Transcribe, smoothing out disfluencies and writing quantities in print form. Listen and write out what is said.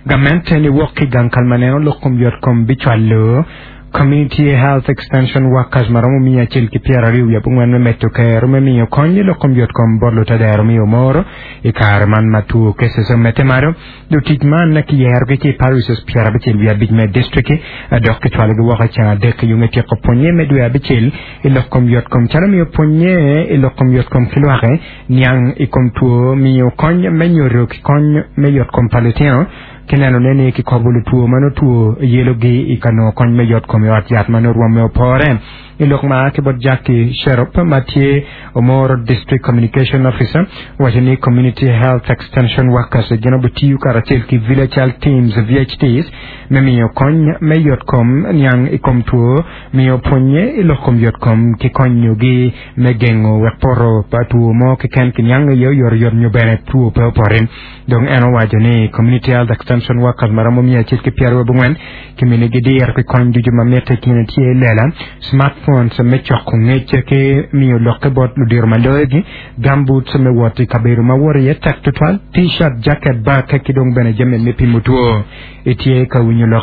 Gamente niwok ki gang kal ma neno lok kom yotkom bicwalo Community Health Extension Workers ma romo 124 me medo kero me miyo kony i lok kom yotkom bot lutedero me Omoro i kare man ma two cases omedde malo. Lutic man kiyerogi ki i parishes 75 me district-ki dok kicwalogi woko i ceng adek i yo me tyeko pwonye me dwe abicel i lok kom yotkom calo miyo pwonye i lok kom yotkom ki lwake, niang i kom two, miyo kony me nyodo ki kony me yotkom pa litino, ki nenone ni kikobo lutwo ma nongo two yelogi i ka nongo kony me yotkom i ot yat ma nongo rwomme opore. I lok ma a ki bot Jackie Sherop ma tye Omoro District Communication Officer owaco ni Community Health Extension Workers gin obitiyo karacel ki Village Health Teams, VHTs, me miyo kony me yotkom, niang i kom two, miyo pwonye i lok kom yotkom ki konyogi me gengo wek poto pa two mo keken kiniang iye oyotoyot nyo bene two pe opoti. Dong en owaco ni Community Health Extension Workers ma romo 124 kiminigi diro ki kony ducu ma mitte i kine tye lela, smartphones me coko ngec ki miyo lokke bot ludiro ma loyogi, gumboots me wot i kabedo ma wot iye tek tutwal, t-shirt, jacket, bag ki dong bene jami me pimo two. Itye ka winyo lok?